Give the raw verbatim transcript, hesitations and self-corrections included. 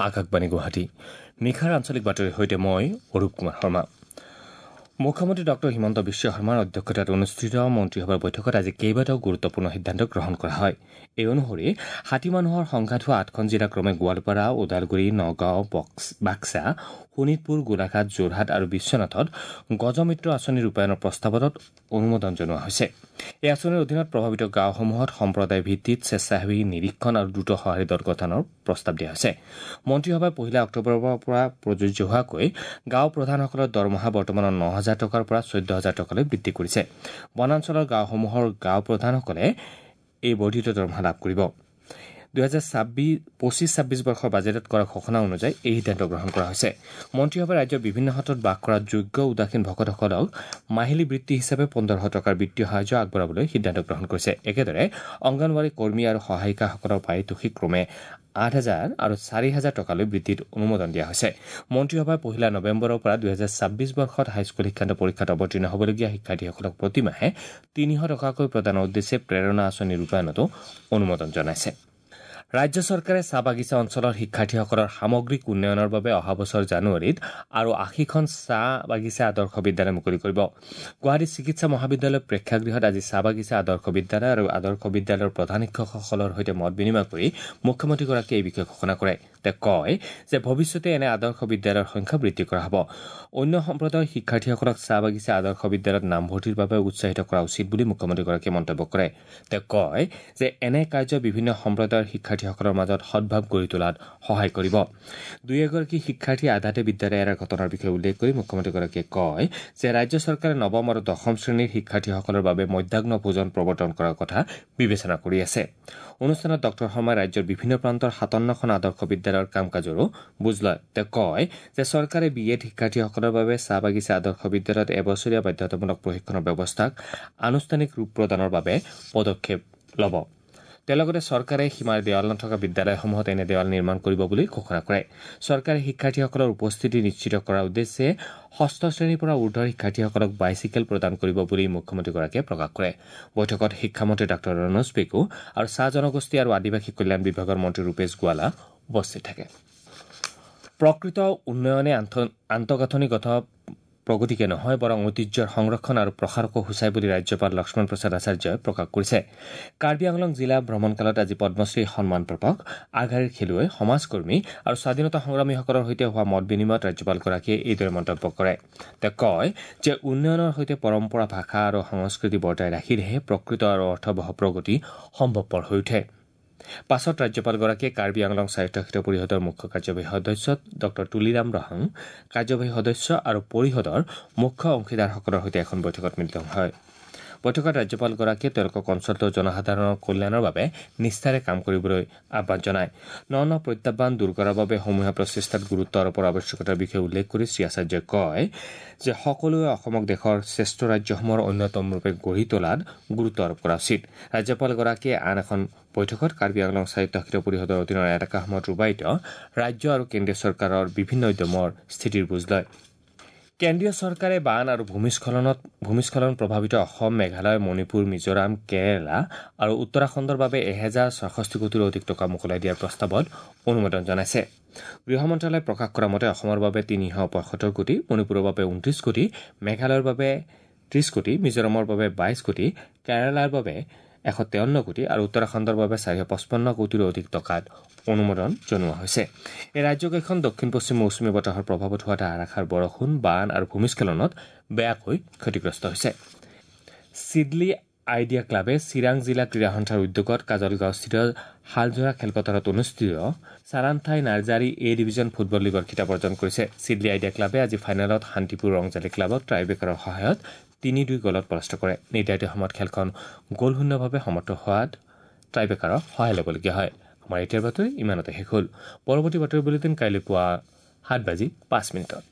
আকাশবাণী গুৱাহাটী। নিশাৰ আঞ্চলিক বাতৰিৰ সৈতে মই অৰূপ কুমাৰ শৰ্মা। মুখ্যমন্ত্ৰী ডক্টৰ হিমন্ত বিশ্ব শৰ্মাৰ অধ্যক্ষতাত অনুষ্ঠিত মন্ত্ৰীসভাৰ বৈঠকত আজি কেইবাটাও গুৰুত্বপূৰ্ণ সিদ্ধান্ত গ্ৰহণ কৰা হয়। এই অনুসৰি হাতী মানুহৰ সংঘাত হোৱা আঠখন জিলা ক্ৰমে গোৱালপাৰা, ওদালগুৰি, নগাঁও, বাক্সা, শোণিতপুৰ, গোলাঘাট, যোৰহাট আৰু বিশ্বনাথত গজমিত্ৰ আঁচনি ৰূপায়ণৰ প্ৰস্তাৱত অনুমোদন জনোৱা হৈছে। এই আঁচনিৰ অধীনত প্ৰভাৱিত গাঁওসমূহত সম্প্ৰদায় ভিত্তিত স্বেচ্ছাসেৱী নিৰীক্ষণ আৰু দ্ৰুত সঁহাৰি দল গঠনৰ প্ৰস্তাৱ দিয়া হৈছে। মন্ত্ৰীসভাই পহিলা অক্টোবৰৰ পৰা প্ৰযোজ্য হোৱাকৈ গাঁও প্ৰধানসকলৰ দৰমহা বৰ্তমানৰ ন হাজাৰ টকাৰ পৰা চৈধ্য হাজাৰ টকালৈ বৃদ্ধি কৰিছে। বনাঞ্চলৰ গাঁওসমূহৰ গাঁও প্ৰধানসকলে এই বৰ্ধিত দৰমহা লাভ কৰিব। দুহেজাৰ ছাব্বিছ পঁচিছ ছাব্বিছ বৰ্ষৰ বাজেটত কৰা ঘোষণা অনুযায়ী এই সিদ্ধান্ত গ্ৰহণ কৰা হৈছে। মন্ত্ৰীসভাই ৰাজ্যৰ বিভিন্ন সত্ৰত বাস কৰা যোগ্য উদাসীন ভকতসকলক মাহিলী বৃত্তি হিচাপে পোন্ধৰশ টকাৰ বিত্তীয় সাহায্য আগবঢ়াবলৈ সিদ্ধান্ত গ্ৰহণ কৰিছে। একেদৰে অংগনৱাড়ী কৰ্মী আৰু সহায়িকাসকলৰ পাৰিতোষিক ক্ৰমে আঠ হাজাৰ আৰু চাৰি হাজাৰ টকালৈ বৃদ্ধিত অনুমোদন দিয়া হৈছে। মন্ত্ৰীসভাই পহিলা নৱেম্বৰৰ পৰা দুহেজাৰ ছাব্বিছ বৰ্ষত হাইস্কুল শিক্ষান্ত পৰীক্ষাত অৱতীৰ্ণ হ'বলগীয়া শিক্ষাৰ্থীসকলক প্ৰতিমাহে তিনিশ টকাকৈ প্ৰদানৰ উদ্দেশ্যে প্ৰেৰণা আঁচনি ৰূপায়ণতো অনুমোদন জনাইছে। ৰাজ্য চৰকাৰে চাহ বাগিচা অঞ্চলৰ শিক্ষাৰ্থীসকলৰ সামগ্ৰিক উন্নয়নৰ বাবে অহা বছৰ জানুৱাৰীত আৰু আশীখন চাহ বাগিচা আদৰ্শ বিদ্যালয় মুকলি কৰিব। গুৱাহাটী চিকিৎসা মহাবিদ্যালয়ৰ প্ৰেক্ষাগৃহত আজি চাহ বাগিচা আদৰ্শ বিদ্যালয় আৰু আদৰ্শ বিদ্যালয়ৰ প্ৰধান শিক্ষকসকলৰ সৈতে মত বিনিময় কৰি মুখ্যমন্ত্ৰীগৰাকীয়ে এই বিষয়ে ঘোষণা কৰে। তেওঁ কয় যে ভৱিষ্যতে এনে আদৰ্শ বিদ্যালয়ৰ সংখ্যা বৃদ্ধি কৰা হ'ব। অন্য সম্প্ৰদায়ৰ শিক্ষাৰ্থীসকলক চাহ বাগিচা আদৰ্শ বিদ্যালয়ত নামভৰ্তিৰ বাবে উৎসাহিত কৰা উচিত বুলি মুখ্যমন্ত্ৰীগৰাকীয়ে মন্তব্য কৰে। তেওঁ কয় যে এনে কাৰ্য বিভিন্ন সম্প্ৰদায়ৰ শিক্ষাৰ্থীসকলৰ মাজত সদ্ভাৱ গঢ়ি তোলাত সহায় কৰিব। দুই এগৰাকী শিক্ষাৰ্থীয়ে আধাতে বিদ্যালয় এৰাৰ ঘটনাৰ বিষয়ে উল্লেখ কৰি মুখ্যমন্ত্ৰীগৰাকীয়ে কয় যে ৰাজ্য চৰকাৰে নৱম আৰু দশম শ্ৰেণীৰ শিক্ষাৰ্থীসকলৰ বাবে মধ্যাহ্ন ভোজন প্ৰৱৰ্তন কৰাৰ কথা বিবেচনা কৰি আছে। অনুষ্ঠানত ডক্টৰ শৰ্মাই ৰাজ্যৰ বিভিন্ন প্ৰান্তৰ সাতাৱন্নখন আদৰ্শ বিদ্যালয়ৰ কাম কাজৰো বুজ লয়। তেওঁ কয় যে চৰকাৰে বি এড শিক্ষাৰ্থীসকলৰ বাবে চাহ বাগিচা আদৰ্শ বিদ্যালয়ত এবছৰীয়া বাধ্যতামূলক প্ৰশিক্ষণৰ ব্যৱস্থাক আনুষ্ঠানিক ৰূপ প্ৰদানৰ বাবে পদক্ষেপ ল'ব। তেওঁ লগতে চৰকাৰে সীমাৰ দেৱাল নথকা বিদ্যালয়সমূহত এনে দেৱাল নিৰ্মাণ কৰিব বুলি ঘোষণা কৰে। চৰকাৰে শিক্ষাৰ্থীসকলৰ উপস্থিতি নিশ্চিত কৰাৰ উদ্দেশ্যে ষষ্ঠ শ্ৰেণীৰ পৰা ঊৰ্ধৰ শিক্ষাৰ্থীসকলক বাইচাইকেল প্ৰদান কৰিব বুলি মুখ্যমন্ত্ৰীগৰাকীয়ে প্ৰকাশ কৰে। বৈঠকত শিক্ষামন্ত্ৰী ডাঃ ৰণোজ পেগু আৰু চাহ জনগোষ্ঠী আৰু আদিবাসী কল্যাণ বিভাগৰ মন্ত্ৰী ৰূপেশ গোৱালা উপস্থিত থাকে। প্ৰকৃত উন্নয়নে আন্তঃগাঁথনিগত প্ৰগতিকে নহয় বৰং ঐতিহ্যৰ সংৰক্ষণ আৰু প্ৰসাৰকো সূচায় বুলি ৰাজ্যপাল লক্ষ্মণ প্ৰসাদ আচাৰ্যই প্ৰকাশ কৰিছে। কাৰ্বি আংলং জিলা ভ্ৰমণকালত আজি পদ্মশ্ৰী সন্মানপ্ৰাপক আগশাৰীৰ খেলুৱৈ, সমাজকৰ্মী আৰু স্বাধীনতা সংগ্ৰামীসকলৰ সৈতে হোৱা মত বিনিময়ত ৰাজ্যপালগৰাকীয়ে এইদৰে মন্তব্য কৰে। তেওঁ কয় যে উন্নয়নৰ সৈতে পৰম্পৰা, ভাষা আৰু সংস্কৃতি বৰ্তাই ৰাখিলেহে প্ৰকৃত আৰু অৰ্থৱহ প্ৰগতি সম্ভৱপৰ হৈ উঠে। পাছত ৰাজ্যপালগৰাকীয়ে কাৰ্বি আংলং স্বায়ত্তশাসিত পৰিষদৰ মুখ্য কাৰ্যবাহী সদস্য ডক্টৰ তুলিৰাম ৰহাং, কাৰ্যবাহী সদস্য আৰু পৰিষদৰ মুখ্য অংশীদাৰসকলৰ সৈতে এখন বৈঠকত মিলিত হয়। বৈঠকত ৰাজ্যপালগৰাকীয়ে তেওঁলোকক অঞ্চলটোৰ জনসাধাৰণৰ কল্যাণৰ বাবে নিষ্ঠাৰে কাম কৰিবলৈ আহ্বান জনায়। ন ন প্ৰত্যাহ্বান দূৰ কৰাৰ বাবে সমূহীয়া প্ৰচেষ্টাত গুৰুত্ব আৰোপৰ আৱশ্যকতাৰ বিষয়ে উল্লেখ কৰি শ্ৰী আচাৰ্যই কয় যে সকলোৱে অসমক দেশৰ শ্ৰেষ্ঠ ৰাজ্যসমূহৰ অন্যতম ৰূপে গঢ়ি তোলাত গুৰুত্ব আৰোপ কৰা উচিত। ৰাজ্যপালগৰাকীয়ে আন এখন বৈঠকত কাৰ্বি আংলং স্বায়ত্তশাসিত পৰিষদৰ অধীনৰ এলেকাসমূহত ৰূপায়িত ৰাজ্য আৰু কেন্দ্ৰীয় চৰকাৰৰ বিভিন্ন উদ্যমৰ স্থিতিৰ বুজ লয়। কেন্দ্ৰীয় চৰকাৰে বান আৰু ভূমিস্খলনত ভূমিস্খলন প্ৰভাৱিত অসম, মেঘালয়, মণিপুৰ, মিজোৰাম, কেৰালা আৰু উত্তৰাখণ্ডৰ বাবে এহেজাৰ ছয়ষষ্ঠি কোটিৰো অধিক টকা মোকলাই দিয়াৰ প্ৰস্তাৱত অনুমোদন জনাইছে। গৃহ মন্ত্ৰালয়ে প্ৰকাশ কৰা মতে অসমৰ বাবে তিনিশ পঁয়সত্তৰ কোটি, মণিপুৰৰ বাবে ঊনত্ৰিছ কোটি, মেঘালয়ৰ বাবে ত্ৰিছ কোটি, মিজোৰামৰ বাবে বাইছ কোটি, কেৰালাৰ বাবে এশ তেৱন্ন কোটি আৰু উত্তৰাখণ্ডৰ বাবে চাৰিশ পঁচপন্ন কোটিৰো অধিক টকাত অনুমোদন জনোৱা হৈছে। এই ৰাজ্যকেইখন দক্ষিণ পশ্চিম মৌচুমী বতাহৰ প্ৰভাৱত হোৱা ধাৰাসাৰ বৰষুণ, বান আৰু ভূমিস্খলনত বেয়াকৈ ক্ষতিগ্ৰস্ত হৈছে। চিডলি আইডিয়া ক্লাবে চিৰাং জিলা ক্ৰীড়া সন্থাৰ উদ্যোগত কাজলগাঁওস্থিত শালঝৰা খেলপথাৰত অনুষ্ঠিত চাৰান্থাই নাৰ্জাৰী এ ডিভিজন ফুটবল লীগৰ খিতাপ অৰ্জন কৰিছে। চিডলি আইডিয়া ক্লাবে আজি ফাইনেলত শান্তিপুৰ ৰংজালী ক্লাবক ট্ৰাইবেকাৰৰ সহায়ত তিনি দুই গ'লত পৰাস্ত কৰে। নিৰ্ধাৰিত সময়ত খেলখন গ'লশূন্যভাৱে সমাপ্ত হোৱাত ট্ৰাইবেকাৰৰ সহায় ল'বলগীয়া হয়। আমাৰ এতিয়াৰ বাতৰি ইমানতে শেষ হ'ল। পৰৱৰ্তী বাতৰি বুলেটিন কাইলৈ পুৱা সাত বাজি পাঁচ মিনিটত।